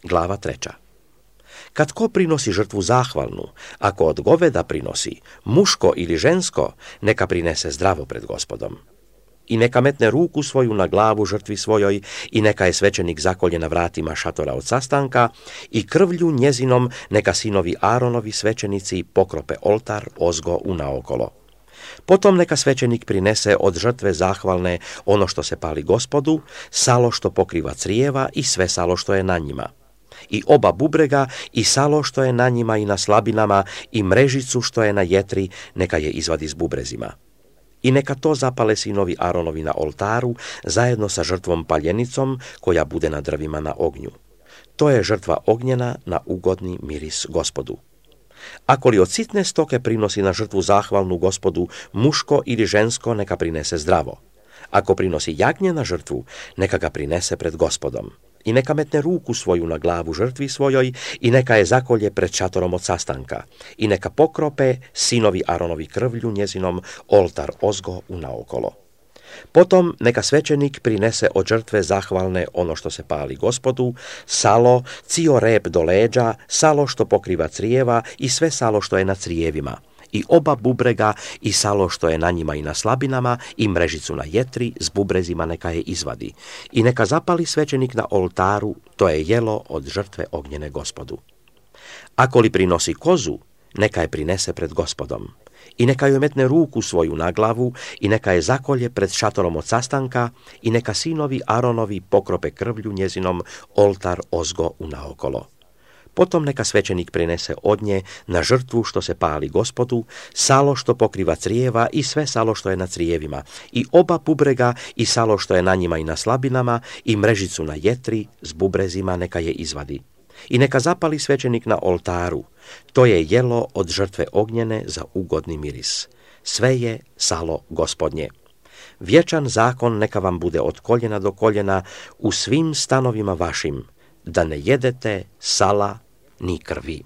Glava 3. Kad ko prinosi žrtvu zahvalnu, ako od goveda prinosi, muško ili žensko, neka prinese zdravo pred Gospodom. I neka metne ruku svoju na glavu žrtvi svojoj i neka je svećenik zakolje na vratima šatora od sastanka i krvlju njezinom neka sinovi Aronovi svećenici pokrope oltar ozgo unaokolo. Potom neka svećenik prinese od žrtve zahvalne ono što se pali Gospodu, salo što pokriva crijeva i sve salo što je na njima. I oba bubrega i salo što je na njima i na slabinama i mrežicu što je na jetri neka je izvadi s bubrezima. I neka to zapale sinovi Aronovi na oltaru zajedno sa žrtvom paljenicom koja bude na drvima na ognju. To je žrtva ognjena na ugodni miris Gospodu. Ako li od sitne stoke prinosi na žrtvu zahvalnu Gospodu muško ili žensko, neka prinese zdravo. Ako prinosi jagnje na žrtvu, neka ga prinese pred Gospodom. I neka metne ruku svoju na glavu žrtvi svojoj i neka je zakolje pred šatorom od sastanka. I neka pokrope sinovi Aronovi krvlju njezinom oltar ozgo unaokolo. Potom neka svećenik prinese od žrtve zahvalne ono što se pali Gospodu, salo, cio rep do leđa, salo što pokriva crijeva i sve salo što je na crijevima, i oba bubrega i salo što je na njima i na slabinama i mrežicu na jetri s bubrezima neka je izvadi. I neka zapali svećenik na oltaru, to je jelo od žrtve ognjene Gospodu. Ako li prinosi kozu, neka je prinese pred Gospodom. I neka joj metne ruku svoju na glavu i neka je zakolje pred šatorom od sastanka i neka sinovi Aronovi pokrope krvlju njezinom oltar ozgo unaokolo. Potom neka svećenik prinese od nje na žrtvu što se pali Gospodu, salo što pokriva crijeva i sve salo što je na crijevima, i oba bubrega i salo što je na njima i na slabinama i mrežicu na jetri s bubrezima neka je izvadi. I neka zapali svećenik na oltaru, to je jelo od žrtve ognjene za ugodni miris. Sve je salo Gospodnje. Vječan zakon neka vam bude od koljena do koljena u svim stanovima vašim, da ne jedete sala ni krvi.